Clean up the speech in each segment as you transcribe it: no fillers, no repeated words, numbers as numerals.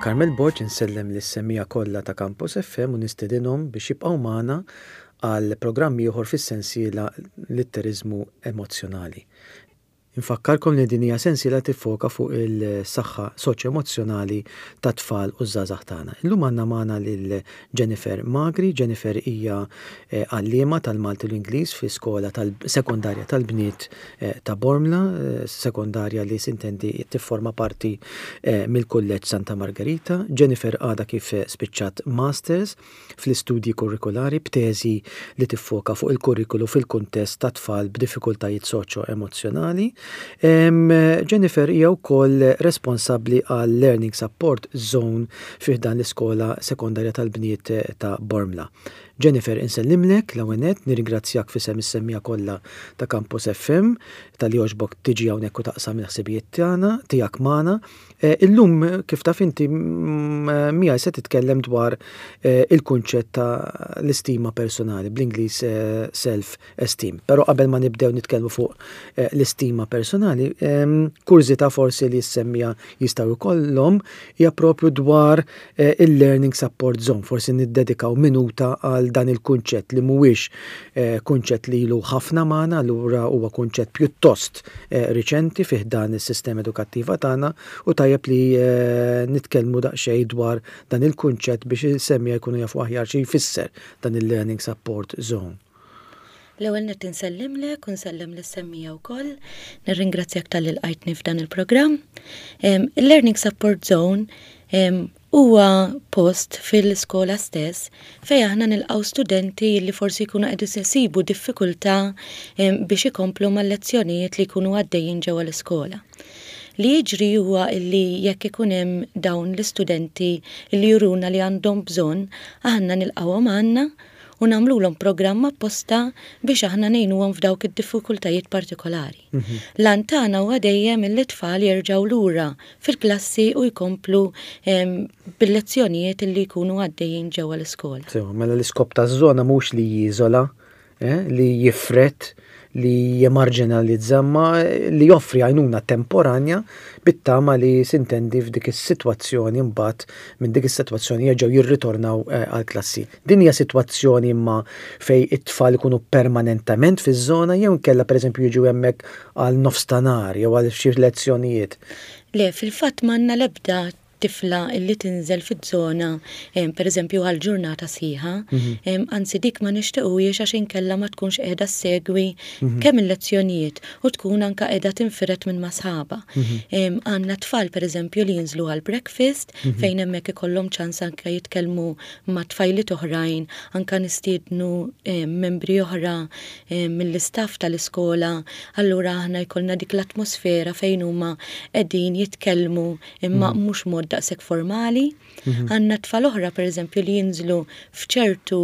Carmel Borg insellem lis-semmiegħa kollha ta' Campus FM u nistedinhom biex jibqgħu magħna għal programm ieħor fis-sensiela Litteriżmu Emozzjonali. Infakkarkom li din hija sensiela tiffoka fuq il-saħħa soċjo-emozzjonali tat-tfal u ż-żgħażagħ tagħna. Illum għandna magħna lil Jennifer Magri. Jennifer hija għalliema tal-Malti u l-Ingliż fi skola sekondarja tal-bniet ta' Bormla, sekondarja li sintendi tifforma parti mill-Kulleġġ Santa Margherita. Jennifer għadha kif spiċċat Masters fl-istudji kurrikulari b'teżi li tiffoka fuq il-kurrikulu fil-kuntest ta' tfal b'diffikultajiet soċjo-emozzjonali. Jennifer hija wkoll responsabbli għal Learning Support Zone fi ħdan l-Iskola Sekondarja tal-Bniet ta' Bormla. Jennifer, insellimlek l-ewwel nett, nirringrazzjak f'isem is-semmiegħa kollha ta' Campus FM talli għoġbok tiġi hawnhekk u taqsam il-ħsibijiet tagħna tiegħek magħna. Illum, kif taf inti, miegħi se titkellem dwar il-kunċett ta' l-istima personali, bl-Ingliż self esteem. Però qabel ma nibdew nitkellmu fuq l-istima personali, kurżità forsi li s-semmiegħa jistgħu jkollhom hija propju dwar il-learning support zone. Forsi niddedikaw minuta għal dan il-kunċett li mhuwiex kunċett li ilu ħafna magħna, allura huwa kunċett pjuttost riċenti fi ħdan is-sistema edukattiva tagħna u tajjeb li nitkellmu daqsxejn dwar dan il-kunċett biex il-semmiegħa jkunu jafu aħjar xi jfisser dan il-learning support zone. L-ewwel nett insellimlek u nsellem lis-semmiegħa wkoll. Nirringrazzjak talli lqajtni f'dan il-programm. Il-Learning Support Zone huwa post fil-iskola stess fejn aħna nilqgħu studenti li forsi jkunu qed isibu diffikultà biex ikomplu mal-lezzjonijiet li jkunu għaddejjin ġewwa l-iskola. Li jiġri huwa li jekk ikun hemm dawn l-istudenti li juruna li għandhom bżonn, aħna nilqgħuhom għandna u nagħmlulhom programm apposta biex aħna ngħinuhom f'dawk id-diffikultajiet partikolari. L-għan tagħna huwa dejjem illi t-tfal jerġgħu lura fil-klassi u jkomplu bil-lezzjonijiet illi jkunu għaddejjin ġewwa l-iskola. Sewa, mela l-iskop taż-żona mhux li jiżola, eh, li jifred, li jemarġinalizza, imma li joffri għajnuna temporanja bit-tama li sintendi f'dik is-sitwazzjoni mbagħad minn dik is-sitwazzjoni jerġgħu jirritornaw eh, għall-klassi. Din hija sitwazzjoni imma fejn it-tfal ikunu permanentament fiż-żona jew inkella pereżempju jiġu hemmhekk għal nofs ta' nhar jew għal xi lezzjonijiet? Le, fil-fatt m'għandna l-ebda tifla illi tinżel fiż-żona pereżempju għal ġurnata sħiħa. Anzi dik ma nixtiequhiex għax inkella ma tkunx qiegħda ssegwi kemm il-lezzjonijiet u tkun anke qiegħda tinfired minn ma' sħabha. Għandna tfal pereżempju li jinżlu għal breakfast fejn hemmhekk ikollhom ċans anke jitkellmu ma' tfajliet oħrajn, anke nistiednu membri oħra mill-istaff tal-iskola, allura aħna jkollna dik l-atmosfera fejn huma qegħdin jitkellmu imma mhux mod daqshekk formali. Għandna tfal oħra pereżempju li jinżlu f'ċertu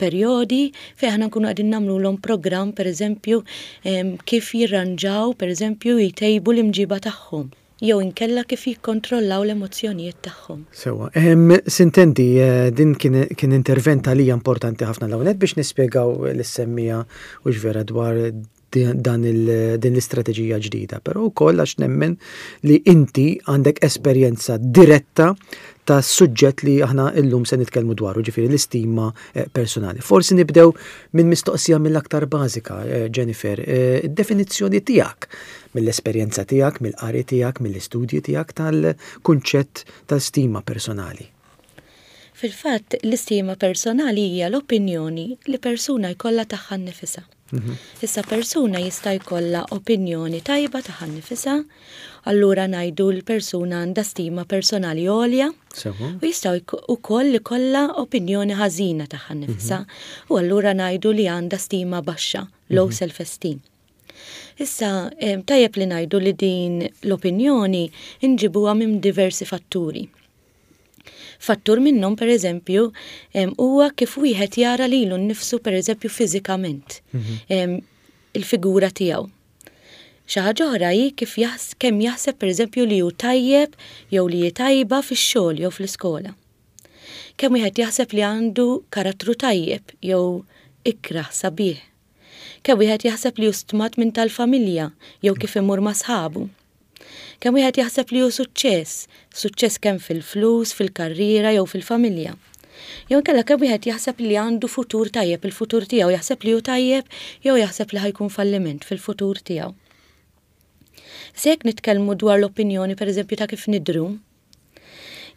perjodi fejn aħna nkunu qegħdin nagħmlulhom programm pereżempju kif jirranġaw pereżempju jtejbu l-imġiba tagħhom jew inkella kif jikkontrollaw l-emozzjonijiet tagħhom. Sewwa. Sintendi, din kien intervent għalija importanti ħafna l-ewwel nett biex nispjegaw lis-semmiegħa hux vera dwar dan din l-istrateġija ġdida, però wkoll għax nemmen li inti għandek esperjenza diretta ta' suġġett li aħna illum se nitkellmu dwaru, ġifieri l-istima eh, personali. Forsi nibdew minn mistoqsija mill-aktar bażika, eh, Jennifer, eh, id-definizzjoni tiegħek mill-esperjenza tiegħek, mill-qari tiegħek, mill-istudji tiegħek tal-kunċett tal-stima personali. Fil-fatt, l-istima personali hija l-opinjoni li persuna jkollha tagħha nnifisha. Issa persuna jista' jkollha opinjoni tajba tagħha nnifisha, allura ngħidu l-persuna għandha stima personali għolja. U jista' wkoll ikollha opinjoni ħażina tagħha nnifisha u allura ngħidu li għandha stima baxxa, low self-esteem. Issa, tajjeb li ngħidu li din l-opinjoni nġibuha minn diversi fatturi. Fattur minnhom, pereżempju, huwa kif wieħed jara lilu nnifsu pereżempju fiżikament, il-figura tiegħu. Xi ħaġa oħra hi kif kemm jaħseb pereżempju li hu tajjeb jew li hi tajba fix-xogħol jew fl-iskola. Kemm wieħed jaħseb li għandu karattru tajjeb jew ikrah sabiħ. Kemm wieħed jaħseb li hu stmat minn tal-familja jew kif imur ma' sħabu. Kemm wieħed jaħseb li hu suċċess, suċċess kemm fil-flus, fil-karriera jew fil-familja. Jew inkella kemm wieħed jaħseb li għandu futur tajjeb, il-futur tiegħu jaħseb li hu tajjeb jew jaħseb li ħa jkun falliment fil-futur tiegħu. Se jekk nitkellmu dwar l-opinjoni pereżempju ta' kif nidhru,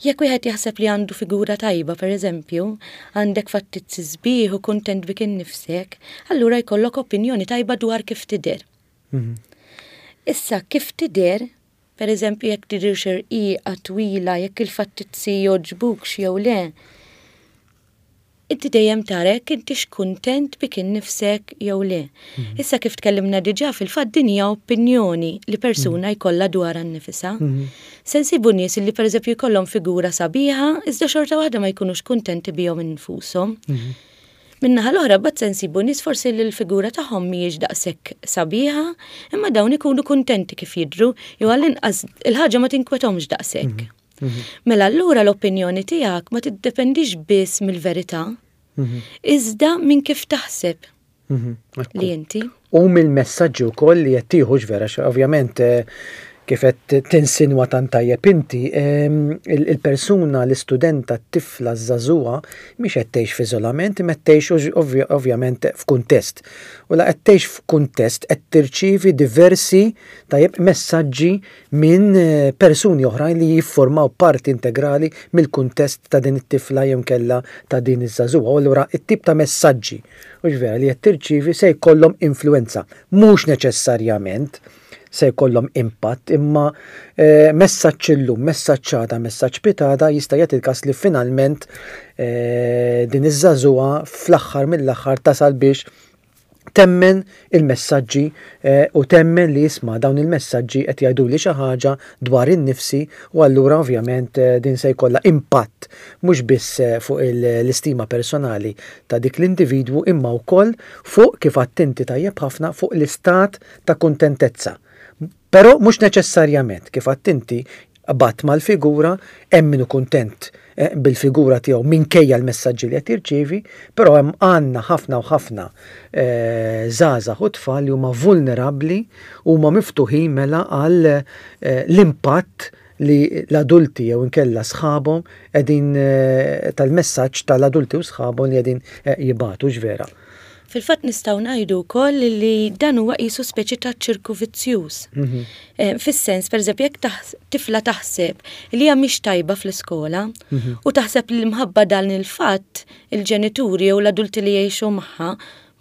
jekk wieħed jaħseb li għandu figura tajba pereżempju, għandek fattizzi sbieħ u kuntent bik innifsek, allura jkollok opinjoni tajba dwar kif tidher. Issa kif tidher, pereżempju jekk tidhirx irqiqa, twila, jekk il-fattizzi jogħġbukx jew le, inti dejjem tara jekk intix kuntent bik innifsek jew le. Mhm. Issa kif tkellimna diġà fil-fatt din hija opinjoni li persuna mhm. jkollha dwarha nnifisha. Mhm. Se nsibu nies li pereżempju jkollhom figura sabiħa iżda xorta waħda ma jkunux kuntenti bihom infushom. Min-naħa l-oħra mbagħad se nsibu nies forsi li l-figura tagħhom mhijiex daqshekk sabiħa, imma dawn ikunu kuntenti kif jidhru jew għall-inqas il-ħaġa ma tinkwetahomx daqshekk. Mela allura l-opinjoni tiegħek ma tiddependix biss mill-verità, iżda minn kif taħseb li inti. U mill-messaġġi wkoll li qed tieħu vera, ovvjament kif qed tinsinwa tant tajjeb inti, il-persuna, l-istudenta, t-tifla, ż-żagħżugħa mhix qed tgħix f'iżolament imma qed tgħix ovvjament f'kuntest. U la qed tgħix f'kuntest qed tirċievi diversi tajjeb messaġġi minn persuni oħrajn li jiffurmaw parti integrali mill-kuntest ta' din it-tifla jew inkella ta' din iż-żagħżugħa. U allura t-tip ta' messaġġi, hux vera, li qed tirċievi se jkollhom influwenza. Mhux neċessarjament se jkollhom impatt, imma messaġġ illum, messaġġ għada, messaġġ pitgħada jista' jagħti l-każ li finalment din iż-żagħżugħa fl-aħħar mill-aħħar tasal biex temmen il-messaġġi u temmen li isma' dawn il-messaġġi qed jgħiduli xi ħaġa dwar innifsi u allura ovvjament din se jkollha impatt mhux biss fuq l-istima personali ta' dik l-individwu imma wkoll fuq kif għedt inti tajjeb ħafna fuq l-istat ta' kuntentezza. Però mhux neċessarjament, kif għedt inti, qbadt mal-figura, hemm min hu kuntent bil-figura tiegħu minkejja l-messaġġi li qed jirċievi, però hemm għandna ħafna u ħafna żgħażagħ u tfal li huma vulnerabbli u huma miftuħin mela għal l-impatt li l-adulti jew inkella sħabhom qegħdin tal-messaġġ tal-adulti u sħabhom li qegħdin jibagħtu, hux vera? Fil-fatt nistgħu ngħidu wkoll li dan huwa qisu speċi ta' ċirku vizzjuż. Mhm. Eh, fis-sens, pereżempju, jekk tifla taħseb li hija mhix tajba fl-iskola mhm. u taħseb li mħabba dan il-fatt il-ġenituri jew l-adulti li jgħixu magħha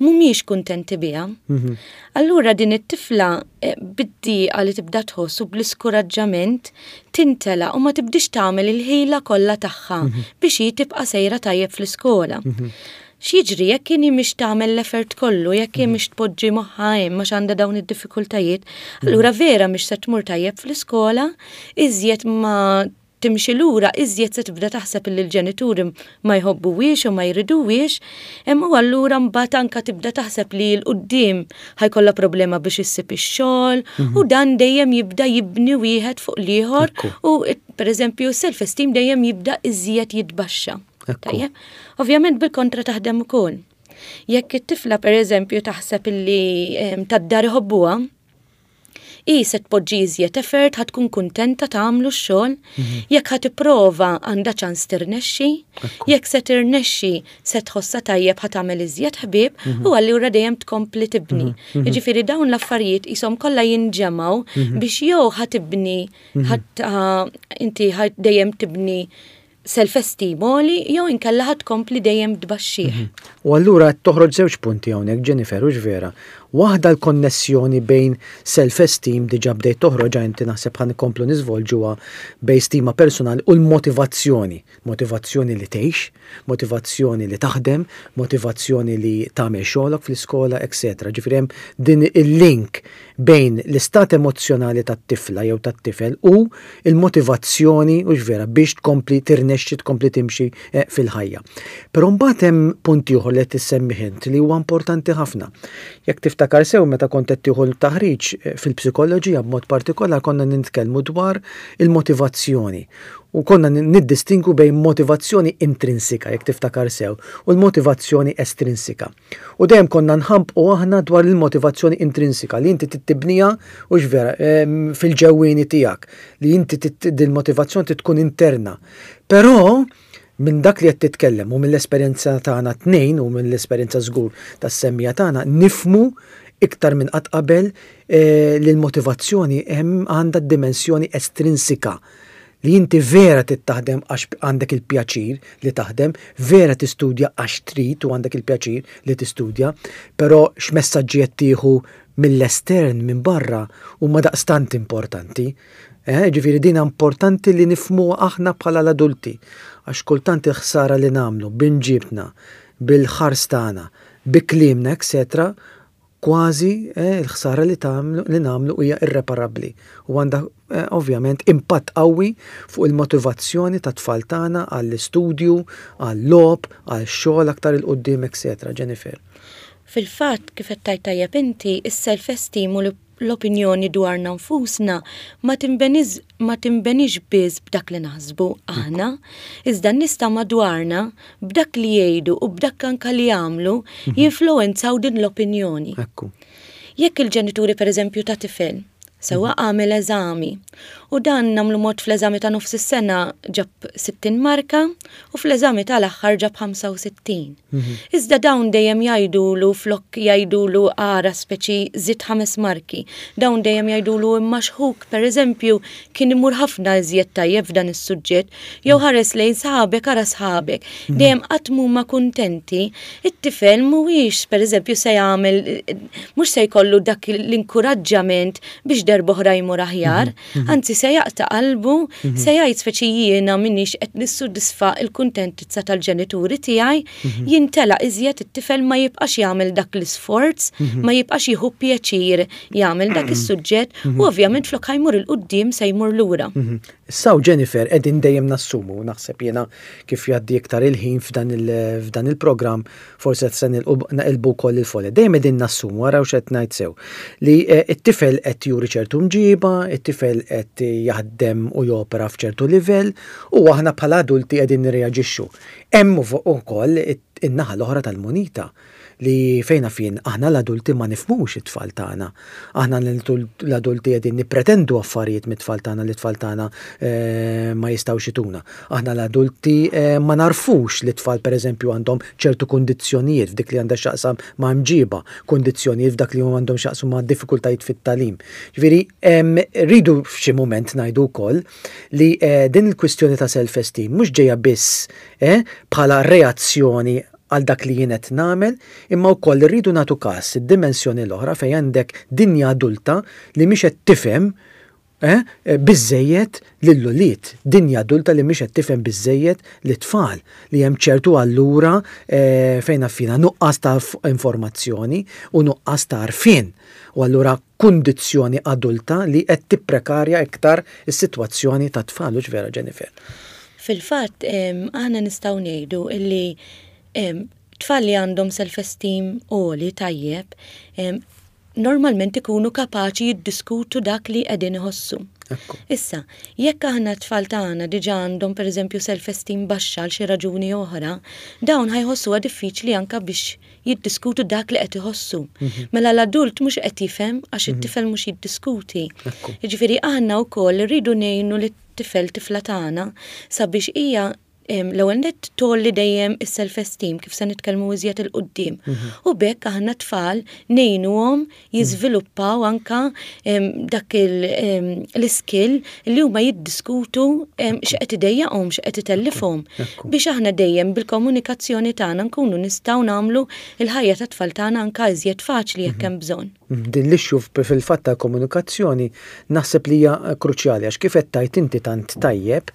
mhumiex kuntenti biha. Mhm. Allura din it-tifla eh, bid-diqa li tibda tħoss u bl-iskuraġġament tintela u ma tibdix tagħmel il-ħila kollha tagħha biex hi tibqa' sejra tajjeb fl-iskola. X'jiġri jekk inhi mhix tagħmel l-effort kollu, jekk hi mhix tpoġġi moħħha hemm għax għandha dawn id-diffikultajiet, allura vera mhix se tmur tajjeb fl-iskola, iżjed ma timxi lura, iżjed se tibda taħseb illi l-ġenituri ma jħobbuhiex u ma jriduhiex, u allura mbagħad anka tibda taħseb li 'l quddiem ħa jkollha problema biex issib ix-xogħol u dan dejjem jibda jibni wieħed fuq l-ieħor u pereżempju s-self-esteem dejjem jibda iżjed jitbaxxa. Tajjeb. Ovvjament bil-kontra taħdem ukoll. Jekk it-tifla pereżempju taħseb illi tad-dar iħobbuha, hi se tpoġġi iżjed effort, ħa tkun kuntenta tagħmlu x-xogħol, mhm. jekk ħa tipprova għandha ċans tirnexxi, jekk se tirnexxi se tħossha tajjeb ħa tagħmel iżjed ħbieb mhm. u allura dejjem tkompli tibni. Mhm. Jiġifieri dawn l-affarijiet qishom kollha jinġemgħu biex jew ħa tibni inti dejjem tibni self-esteem għoli jew inkella ħa tkompli dejjem tbaxxih. Mhm. U allura qed toħroġ żewġ punti hawnhekk Jennifer, hux vera? Waħda l-konnessjoni bejn self-esteem diġà bdejt toħroġha inti naħseb ħa nkomplu niżvolġuha bejn stima personali u l-motivazzjoni. Motivazzjoni li tgħix, motivazzjoni li taħdem, motivazzjoni li tagħmel xogħlok fl-iskola, etc. Ġifieri hemm din il-link bejn l-istat emozzjonali tat-tifla jew tat-tifel u l-motivazzjoni, hux vera, biex tkompli tirnexxi, tkompli timxi eh, fil-ħajja. Però mbagħad hemm punt ieħor li qed issemmih int li huwa importanti ħafna. Jekk tiftakar tiftakar sew meta kont qed tieħu l-taħriġ fil-psikoloġija b'mod partikolar konna nitkellmu dwar il-motivazzjoni u konna niddistingwu bejn motivazzjoni intrinsika, jekk tiftakar sew, u l-motivazzjoni estrinsika. U dejjem konna nħambqu aħna dwar il-motivazzjoni intrinsika li inti trid tibniha hux vera fil-ġewwieni tiegħek, li inti din il-motivazzjoni trid tkun interna. Però minn dak li qed titkellem u mill-esperjenza tagħna t-tnejn u mill-esperjenza żgur tas-semmiegħa tagħna nifhmu iktar minn qatt qabel li l-motivazzjoni hemm għandha d-dimensjoni estrinsika li inti vera trid taħdem għax għandek il-pjaċir li taħdem, vera tistudja għax trid u għandek il-pjaċir li tistudja, però x'messaġġi qed tieħu mill-estern, minn barra, huma daqstant importanti. Eh, ġifieri din importanti li nifhmuha aħna bħala l-adulti, għax kultant il-ħsara li nagħmlu b'imġibtna, bil-ħars tagħna, bi kliemna, etc., kważi eh, il-ħsara li tagħmlu li nagħmlu hija irreparabbli u għandha eh, ovvjament impatt qawwi fuq il-motivazzjoni tat-tfal tagħna għall-istudju, għall-logħob, għall-xogħol aktar 'il quddiem, etc. Jennifer. Fil-fatt, kif qed tgħid tajjeb inti, is-self-esteem u l-opinjoni dwarna nfusna ma tinbeniż ma tinbenix biss b'dak li naħsbu aħna, iżda n-nies ta' madwarna b'dak li jgħidu u b'dak anka li jagħmlu jinfluwenzaw din l-opinjoni. Ekku. Jekk il-ġenituri pereżempju ta' tifel sewwa għamel eżami u dan nagħmlu mod fl-eżami ta' nofs is-sena ġab 60 marka u fl-eżami tal-aħħar ġab 65. Iżda dawn dejjem jgħidulu flok jgħidulu ara speċi żid ħames marki. Dawn dejjem jgħidulu imma x'ħuk pereżempju kien imur ħafna iżjed tajjeb f'dan is-suġġett jew ħares lejn sħabek ara sħabek. Dejjem qatt m'huma kuntenti, it-tifel mhuwiex pereżempju se jagħmel mhux se jkollu dak l-inkuraġġament biex darb'oħra jmur aħjar, anzi se jaqta' qalbu, se jgħid speċi jiena m'iniex qed nissodisfa l-kuntentizza tal-ġenituri tiegħi, jintelaq iżjed it-tifel ma jibqax jagħmel dak l-isforz, ma jibqax jieħu pjaċir jagħmel dak is-suġġett u ovvjament flok ħa jmur 'il quddiem se jmur lura. Issa hawn Jennifer qegħdin dejjem nassumu, naħseb jiena kif jgħaddi iktar il-ħin f'dan il-programm forsi se naqilbu wkoll il-folja. Dejjem qegħdin nassumu, araw x'qed ngħid sew, li t-tifel qed juri ċertu mġiba, it-tifel qed jaħdem u jopera f'ċertu livell u aħna bħala adulti qegħdin nirreaġixxu. Hemm ukoll in-naħa l-oħra tal-munita. li fejn naf jien aħna l-adulti ma nifhmux it-tfal tagħna. Aħna l-adulti qegħdin nippretendu affarijiet mit-tfal tagħna li t-tfal tagħna ma jistgħux ituna. Aħna l-adulti ma nagħrfux li t-tfal pereżempju għandhom ċertu kundizzjonijiet f'dik li għandha x'taqsam ma' mġiba, kundizzjonijiet f'dak li għandhom x'jaqsmu ma' diffikultajiet fit-tagħlim. Ġifieri rridu f'xi mument ngħidu wkoll li din il-kwistjoni ta' self-esteem mhux ġejja biss bħala reazzjoni għal dak li jien qed nagħmel, imma wkoll irridu nagħtu kas id-dimensjoni l-oħra fejn għandek dinja adulta li mhix qed tifhem eh, biżżejjed lill-ulied, dinja adulta li mhix qed tifhem biżżejjed lit-tfal, li hemm ċertu allura eh, fejn naf jiena nuqqas ta' informazzjoni u nuqqas ta' għarfien. U allura kundizzjoni adulta li qed tipprekarja iktar is-sitwazzjoni tat-tfal, hux vera Jennifer? Fil-fatt, aħna nistgħu ngħidu illi tfal li għandhom self-esteem għoli tajjeb, normalment ikunu kapaċi jiddiskutu dak li qegħdin iħossu. Issa, jekk aħna t-tfal tagħna diġà għandhom pereżempju self-esteem baxxa għal xi raġuni oħra, dawn ħa jħossuha diffiċli anke biex jiddiskutu dak li qed iħossu. Mela l-adult mhux qed jifhem għax it-tifel mhux jiddiskuti. Jiġifieri aħna wkoll irridu ngħinu lit-tifel tifla tagħna sabiex hija l-ewwel nett tgħolli dejjem is-self-esteem kif se nitkellmu iżjed 'il quddiem. U b'hekk aħna t-tfal ngħinuhom jiżviluppaw anka dak l-iskill li huma jiddiskutu x'qed idejjaqhom, x'qed itellifhom. Biex aħna dejjem bil-komunikazzjoni tagħna nkunu nistgħu nagħmlu l-ħajja tat-tfal tagħna anka iżjed faċli jekk hemm bżonn. Din l-issue fil-fatt tal-komunikazzjoni naħseb li hija kruċjali għax kif qed tgħid inti tant tajjeb,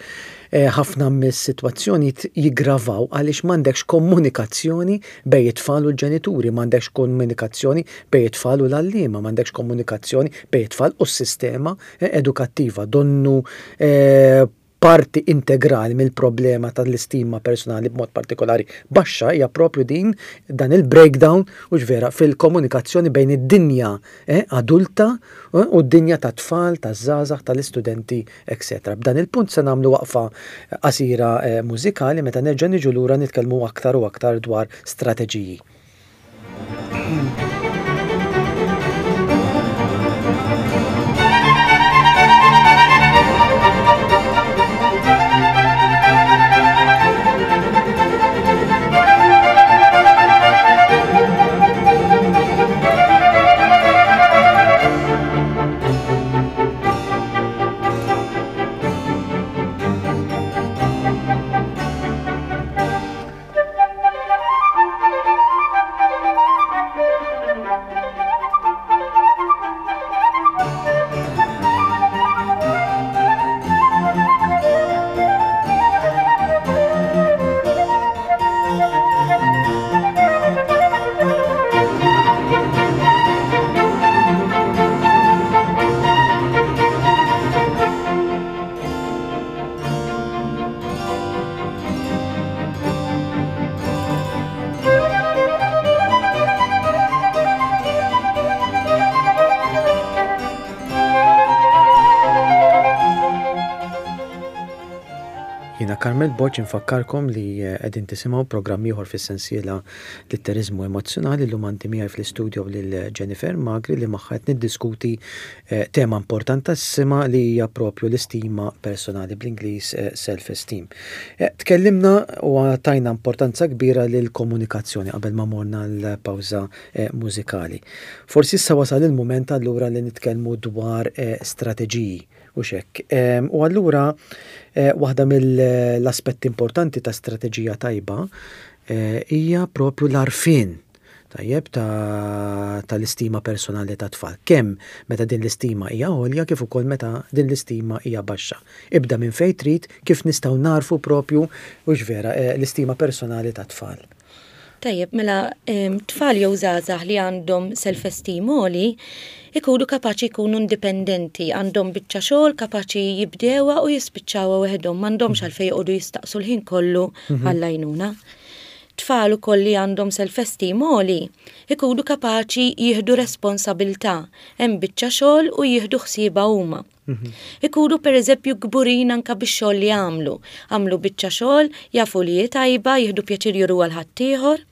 ħafna mis-sitwazzjonijiet jiggravaw għaliex m'għandekx komunikazzjoni bejn it-tfal u l-ġenituri, m'għandekx komunikazzjoni bejn it-tfal u l-għalliema, m'għandekx komunikazzjoni bejn it-tfal u s-sistema edukattiva. Donnu parti integrali mill-problema tal-istima personali b'mod partikolari baxxa hija propju din dan il-breakdown hux vera fil-komunikazzjoni bejn id-dinja eh, adulta eh, u d-dinja tat-tfal, taż-żgħażagħ, tal-istudenti, etc. B'dan il-punt se nagħmlu waqfa qasira eh, mużikali meta nerġa' niġu lura nitkellmu aktar u aktar dwar strateġiji. Jiena Carmel Borg infakkarkom li eh, qegħdin tisimgħu programm ieħor fis-sensiela Litteriżmu Emozzjonali llum għandi miegħi fl-istudio lil Jennifer Magri li magħha qed niddiskuti eh, tema importantissima li hija propju l-istima personali bl-Ingliż eh, self-esteem. Tkellimna u tajna importanza kbira lill-komunikazzjoni qabel ma morna l-pawża mużikali. Forsi issa wasal il-mument allura li nitkellmu dwar strateġiji Hux hekk. U allura waħda mill-aspetti importanti ta' strateġija tajba hija propju l-għarfien tajjeb tal-istima personali tat-tfal. Kemm meta din l-istima hija għolja kif ukoll meta din l-istima hija baxxa. Ibda minn fejn trid kif nistgħu nagħrfu propju hux vera l-istima personali tat-tfal. Tajjeb, mela tfal jew żgħażagħ li għandhom self-esteem għoli ikunu kapaċi jkunu indipendenti, għandhom biċċa xogħol kapaċi jibdewha u jispiċċawha weħidhom, m'għandhomx mhm. għalfejn joqogħdu jistaqsu l-ħin kollu mhm. għall-għajnuna. Tfal ukoll li għandhom self-esteem għoli ikunu kapaċi jieħdu responsabilità, hemm biċċa xogħol u jieħdu ħsiebha huma. Ikunu pereżempju kburin anke bix-xogħol li għamlu. Għamlu biċċa xogħol, jafu li hi tajba, jieħdu pjaċir juruha 'l ħaddieħor.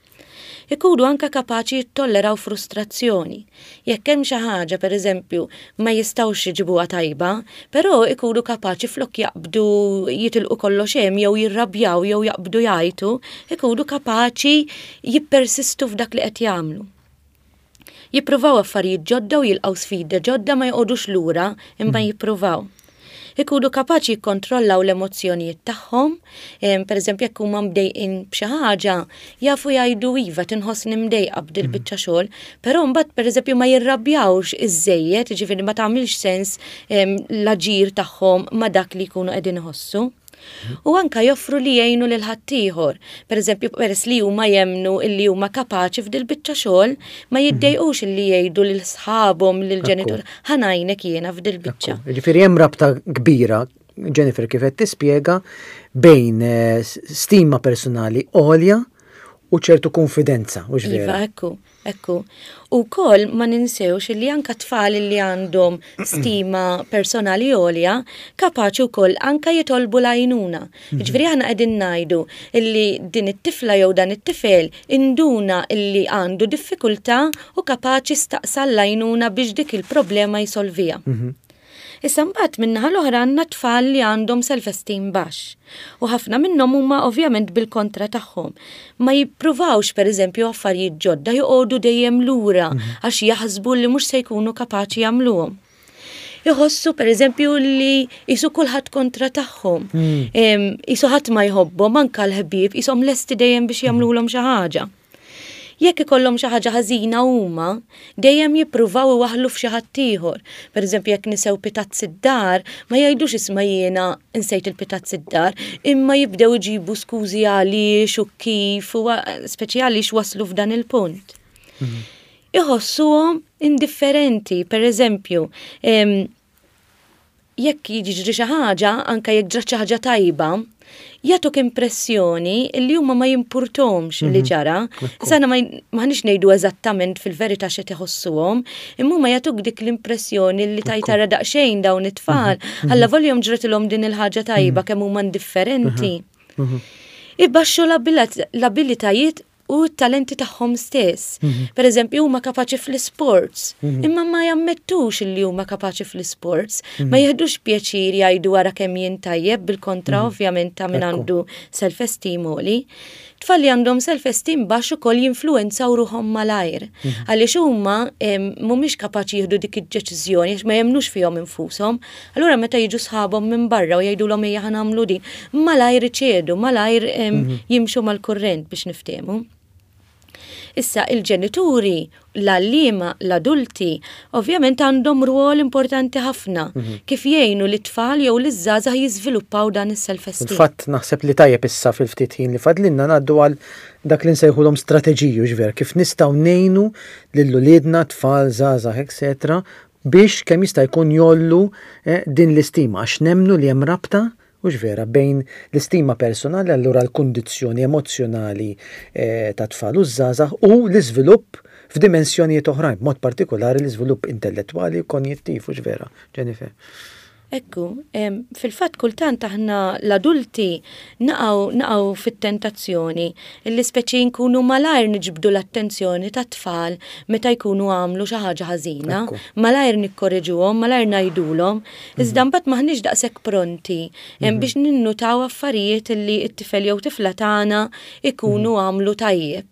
Ikunu anke kapaċi jittolleraw frustrazzjoni. Jekk hemm xi ħaġa, pereżempju, ma jistgħux iġibuha tajba, però ikunu kapaċi flok jaqbdu jitilqu kollox hemm jew jirrabjaw jew jaqbdu jgħajtu, ikunu kapaċi jippersistu f'dak li qed jagħmlu. Jippruvaw affarijiet ġodda u jilqgħu sfidi ġodda ma joqogħdux lura imma mm. jippruvaw. Ikunu kapaċi jikkontrollaw l-emozzjonijiet tagħhom, pereżempju jekk huma mdejqin b'xi ħaġa, jafu jgħidu iva tinħossni mdejqa b'dil mm. biċċa xogħol, però mbagħad pereżempju ma jirrabjawx iżejjed, jiġifieri ma tagħmilx sens l-aġir tagħhom ma dak li jkunu qegħdin iħossu. U anka joffru li jgħinu lil ħaddieħor. Pereżempju, peress li huma jemmnu illi huma kapaċi f'dil-biċċa xogħol, ma mhm. jiddejqux illi jgħidu lil sħabhom lil ġenitur ħa ngħinek jiena f'dil-biċċa. Ġifieri hemm rabta kbira Jennifer kif qed tispjega bejn eh, stima personali għolja u ċertu konfidenza, u iva, vera. Ekku. Ekku. U wkoll ma ninsewx li anka tfal li għandhom stima personali għolja kapaċi wkoll anka jitolbu l-għajnuna. Mhm. Jiġifieri aħna qegħdin ngħidu illi din it-tifla jew dan it-tifel induna illi għandu diffikultà u kapaċi staqsa l-għajnuna biex dik il-problema jsolviha. Mhm. Issa mbagħad min-naħa l-oħra għandna tfal li għandhom self-esteem baxx. U ħafna minnhom huma ovvjament bil-kontra tagħhom. Ma jippruvawx pereżempju affarijiet ġodda joqogħdu dejjem lura mhm. għax jaħsbu li mhux se jkunu kapaċi jagħmluhom. Iħossu pereżempju li jisu kulħadd kontra tagħhom. Mm. Jisu ħadd ma jħobbhom anke l-ħbieb jisom lesti dejjem biex jagħmluhom xi ħaġa. Jekk ikollhom xi ħaġa ħażina huma, dejjem jippruvaw iwaħħlu f'xi ħaddieħor. Pereżempju jekk nisew pitazz id-dar, ma jgħidux isma' jiena nsejt il-pitazz id-dar, imma jibdew iġibu skużi għaliex u kif u speċi għaliex waslu f'dan il-punt. Mhm. Iħossuhom indifferenti, pereżempju, Jekk jiġri xi ħaġa, anke jekk ġrat xi ħaġa tajba, jagħtuk impressjoni li huma ma jimpurtomx li ġara. Issa aħna m'aħniex ngħidu eżattament fil-verità x'qed iħossuhom, imma huma jagħtuk dik l-impressjoni li tgħid ara daqsxejn dawn it-tfal, allavolja ġratilhom din il-ħaġa tajba kemm huma indifferenti. Ibaxxu l-abilitajiet u t-talenti tagħhom stess. Per eżempju, huma kapaċi fl-isports, imma ma jammettux li huma kapaċi fl-isports, ma jieħdux pjaċir jgħidu wara kemm jien tajjeb, bil-kontra ovvjament ta' min għandu self-esteem għoli. Tfal li għandhom self-esteem baxx ukoll jinfluwenzaw ruħhom malajr. Għaliex huma mhumiex kapaċi jieħdu dik id-deċiżjoni għax ma jemmnux fihom infushom. Allura meta jiġu sħabhom minn barra u jgħidulhom ejja ħa nagħmlu din, malajr iċedu, malajr jimxu mal-kurrent biex niftehmu. Issa il-ġenituri, l-għalliema, l-adulti, ovvjament għandhom rwol importanti ħafna kif jgħinu lit-tfal jew liż-żgħażagħ jiżviluppaw dan is-self-esteem. Fil-fatt naħseb li tajjeb issa fil-ftit ħin li fadlilna ngħaddu għal dak li nsejħulhom strateġiji, hux vera, kif nistgħu ngħinu lil uliedna, tfal, żgħażagħ, etc. Biex kemm jista' jkun jgħollu din l-istima għax nemmnu li hemm rabta, hux vera, bejn l-istima personali, allura l-kundizzjoni emozzjonali tat-tfal u ż-żgħażagħ u l-iżvilupp f'dimensjonijiet oħrajn, b'mod partikolari l-iżvilupp intellettwali u konjittiv, hux vera, Jennifer? Ekku, fil-fatt kultant aħna l-adulti naqgħu naqgħu fit-tentazzjoni illi speċi nkunu malajr niġbdu l-attenzjoni tat-tfal meta jkunu għamlu xi ħaġa ħażina, malajr nikkoreġuhom, malajr ngħidulhom, iżda mbagħad m'aħniex daqshekk pronti biex ninnutaw affarijiet illi t-tifel jew tifla tagħna jkunu għamlu tajjeb.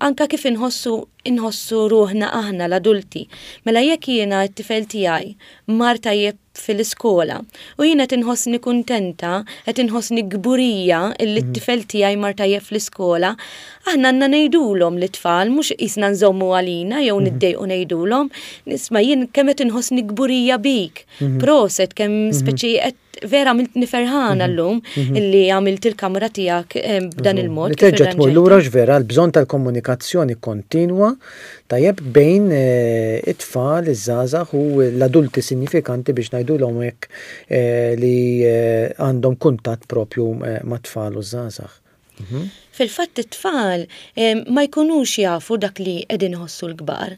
Anka kif inħossu inħossu ruħna aħna l-adulti. Mela jekk jiena t-tifel tiegħi mar tajjeb fil-iskola u jien qed inħossni kuntenta, qed inħossni kburija illi t-tifel tiegħi mar tajjeb fl-iskola, aħna għandna ngħidulhom lit-tfal mhux qisna nżommu għalina jew niddejqu ngħidulhom, isma' jien kemm qed inħossni kburija bik, proset kemm speċi qed vera għamiltni ferħana llum illi għamilt il-kamra tiegħek b'dan il-mod. Li terġa' tmur lura x'vera l-bżonn tal-komunikazzjoni kontinwa tajjeb bejn it-tfal, iż-żgħażagħ u l-adulti sinjifikanti biex ngħidulhom hekk li għandhom kuntatt propju mat-tfal u ż-żgħażagħ. Fil-fatt it-tfal ma jkunux jafu dak li qegħdin iħossu l-kbar.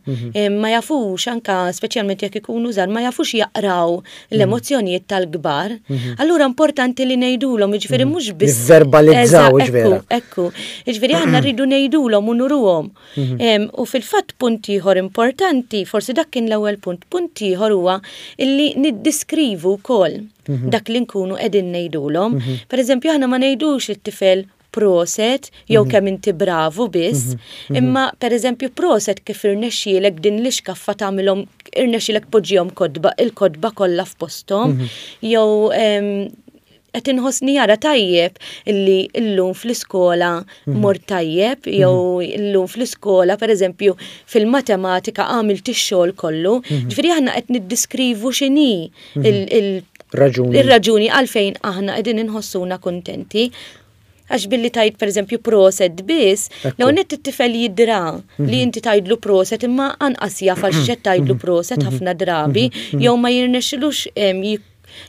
Ma jafux anka speċjalment jekk ikunu żgħar, ma jafux jaqraw l-emozzjonijiet tal-kbar. Allura importanti li ngħidulhom, jiġifieri mhux biss. Nivverbalizzaw, jiġifieri. Ekku, jiġifieri aħna rridu ngħidulhom u nuruhom. U fil-fatt punt ieħor importanti, forsi dak kien l-ewwel punt, punt ieħor huwa illi niddiskrivu wkoll dak li nkunu qegħdin ngħidulhom. Pereżempju aħna ma ngħidux lit-tifel proset jew kemm inti bravu biss, imma pereżempju proset kif irnexxielek din l-ixkaffa tagħmilhom irnexxielek tpoġġihom kotba il-kotba kollha f'posthom jew qed inħossni jara tajjeb illi llum fl-iskola mort tajjeb jew illum fl-iskola pereżempju fil-matematika għamilt ix-xogħol kollu. Ġifieri aħna qed niddiskrivu x'inhi ir-raġuni għalfejn aħna qegħdin inħossuna kuntenti. Għax billi tgħid pereżempju proset biss, l-ewwel nett it-tifel jidra li inti tgħidlu proset imma anqas jaf għal x'qed tgħidlu proset ħafna drabi jew ma jirnexxilux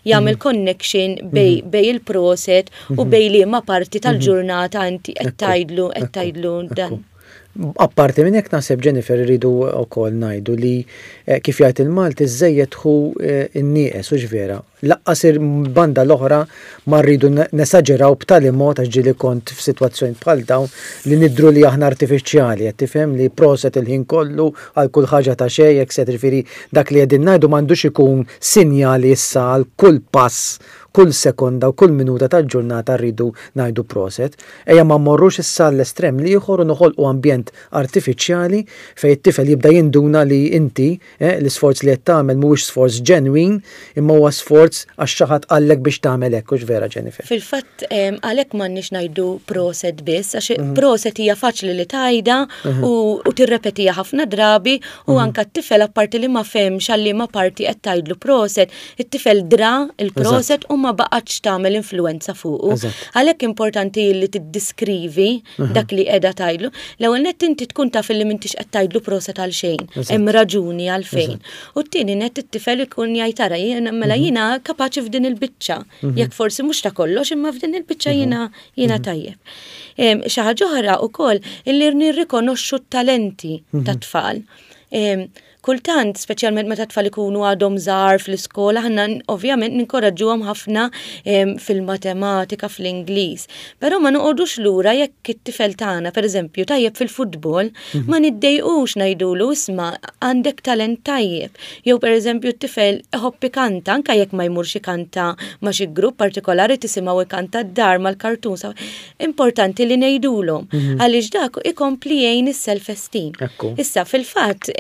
jagħmel connection bej il-proset u bej liema parti tal-ġurnata inti qed tgħidlu qed tgħidlu dan. Apparti minn hekk naħseb Jennifer irridu wkoll ngħidu li kif jgħid il-Malti żejjed hu n-nieqes hux vera. Laqqas il-banda l-oħra ma rridu nesaġeraw b'tali mod għax ġieli kont f'sitwazzjonijiet bħal dawn li nidhru li aħna artifiċjali qed tifhem li proset il-ħin kollu għal kull ħaġa ta' xejn etc. Jiġifieri dak li qegħdin ngħidu m'għandux ikun sinjal issa għal kull pass, kull sekonda u kull minuta tal-ġurnata rridu ngħidu proset. Ejja ma mmorrux issa għall-estrem l-ieħor u noħolqu ambjent artifiċjali fejn it-tifel jibda jinduna li inti, l-isforz li qed tagħmel mhuwiex sforz ġenwin imma huwa sforz għax xi ħadd qallek biex tagħmel hekk, hux vera Jennifer? Fil-fatt għalhekk m'għandniex ngħidu proset biss għax proset hija faċli li tgħidha u tirrepetiha ħafna drabi u anke t-tifel apparti li ma fehmx għal liema parti qed tgħidlu proset, it-tifel dra l-proset u ma baqgħetx tagħmel influenza fuqu. Għalhekk importanti li tiddiskrivi dak li qiegħda tgħidlu. L-ewwel nett inti tkun taf li m'intix qed tgħidlu proset għal xejn, hemm raġuni għalfejn. U t-tieni nett it-tifel ikun jgħid ara mela mhm. jiena kapaċi f'din il-biċċa. Mhm. Jekk forsi mhux ta' kollox imma f'din il-biċċa mhm. jiena jiena tajjeb. Xi ħaġa oħra wkoll illi nirrikonoxxu t-talenti tat-tfal. Kultant, speċjalment meta t-tfal ikunu għadhom żgħar fl-iskola, aħna ovvjament ninkoraġġuhom ħafna fil-matematika, fl-Ingliż. Però ma noqogħdux lura jekk it-tifel tagħna, pereżempju, tajjeb fil-futbol, mhm. ma niddejqux ngħidulu isma' għandek talent tajjeb. Jew pereżempju t-tifel iħobb ikanta, anke jekk ma jmurx ikanta ma' xi grupp partikolari tisimgħu ikanta d-dar mal-kartun. Importanti li ngħidulhom mhm. għaliex dak ikompli jgħin is-self-esteem. Issa fil-fatt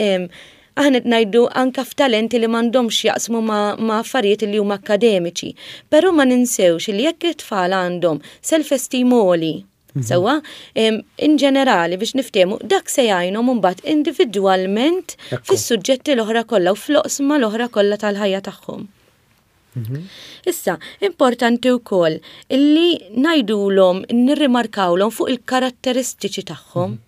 aħna qed ngħidu anka f'talenti li m'għandhomx jaqsmu ma' affarijiet li huma akkademiċi. Però ma ninsewx li jekk it-tfal għandhom self-esteem għoli, mhm. Sewwa, in ġenerali biex niftehmu, dak se jgħinhom imbagħad individwalment fis-suġġetti l-oħra kollha u fl-oqsma l-oħra kollha tal-ħajja tagħhom. Mhm. Issa, importanti wkoll illi ngħidulhom, nirrimarkawlhom fuq il-karatteristiċi tagħhom. Mhm.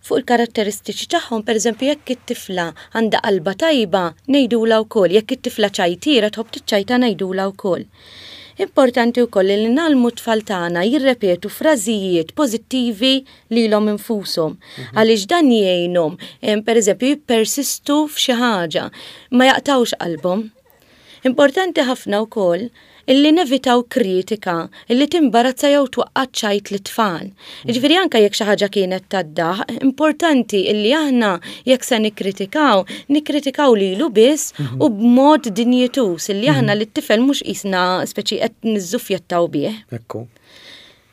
Fuq il-karatteristiċi tagħhom, pereżempju, jekk it-tifla għandha qalba tajba, ngħidulha wkoll, jekk it-tifla ċajtiera tħobb tiċċajta ngħidulha wkoll. Importanti wkoll li nagħlmu t-tfal tagħna jirrepetu frażijiet pożittivi lilhom infushom. Mhm. Għaliex dan jgħinhom, pereżempju, jippersistu f'xi ħaġa, ma jaqtgħux qalbhom. Importanti ħafna wkoll illi nevitaw kritika illi timbarazza jew twaqqa' ċajt lit-tfal. Mhm. Jiġifieri anke jekk xi ħaġa kienet tad-daħq, importanti illi aħna jekk se nikkritikaw, nikkritikaw lilu biss mhm. u b'mod dinjituż illi aħna li t-tifel mhux qisna speċi qed niżżuffjettaw bih. Ekku.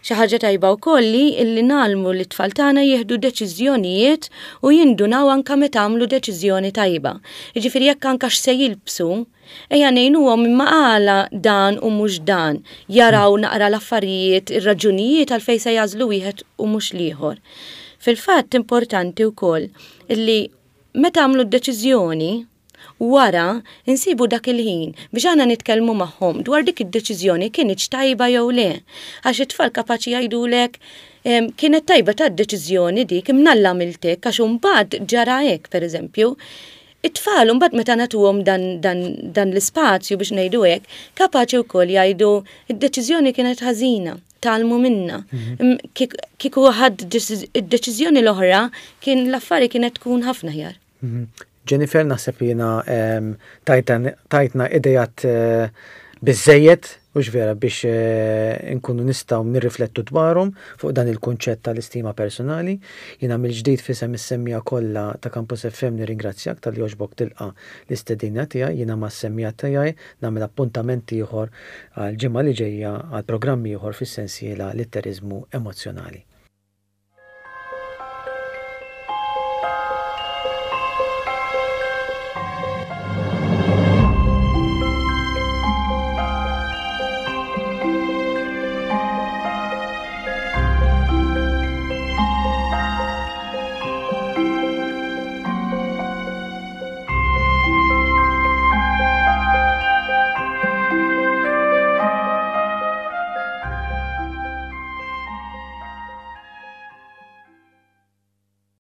Xi ħaġa tajba wkoll hi illi ngħallmu lit-tfal tagħna jieħdu deċiżjonijiet u jindunaw anke meta għamlu deċiżjoni tajba. Jiġifieri jekk anke x'se jilbsu, ejja ngħinuhom imma għala dan u mhux dan, jaraw naqra l-affarijiet, ir-raġunijiet għalfejn se jagħżlu wieħed u mhux l-ieħor. Fil-fatt importanti wkoll illi meta għamlu d-deċiżjoni, Wara, insibu dak il-ħin biex aħna nitkellmu magħhom dwar dik id-deċiżjoni kinitx tajba jew le. Għax it-tfal kapaċi jgħidulek, kienet tajba ta' deċiżjoni dik, imnalla għamilt hekk għax imbagħad ġara hekk, pereżempju. It-tfal imbagħad meta nagħtuhom dan, dan, dan l-ispazju biex ngħidu hekk, kapaċi wkoll jgħidu d-deċiżjoni kienet ħażina, tgħallmu minnha. Mhm. Kieku ħadd id-deċiżjoni l-oħra kien l-affari kienet tkun ħafna aħjar. Mhm. Jennifer, naħseb li jiena tajtna idejat eh, biżżejjed, hux vera, biex eh, nkunu nistgħu nirriflettu dwarhom fuq dan il-kunċett tal-istima personali. Jiena mill-ġdid f'isem is-semmiegħa kollha ta' Campus FM nirringrazzjak talli għoġbok tilqa' l-istedina tiegħi. Jiena mas-semmiegħa tiegħi nagħmel appuntament ieħor għall-ġimgħa li ġejja għal programm ieħor fis-sensiela Litteriżmu Emozzjonali.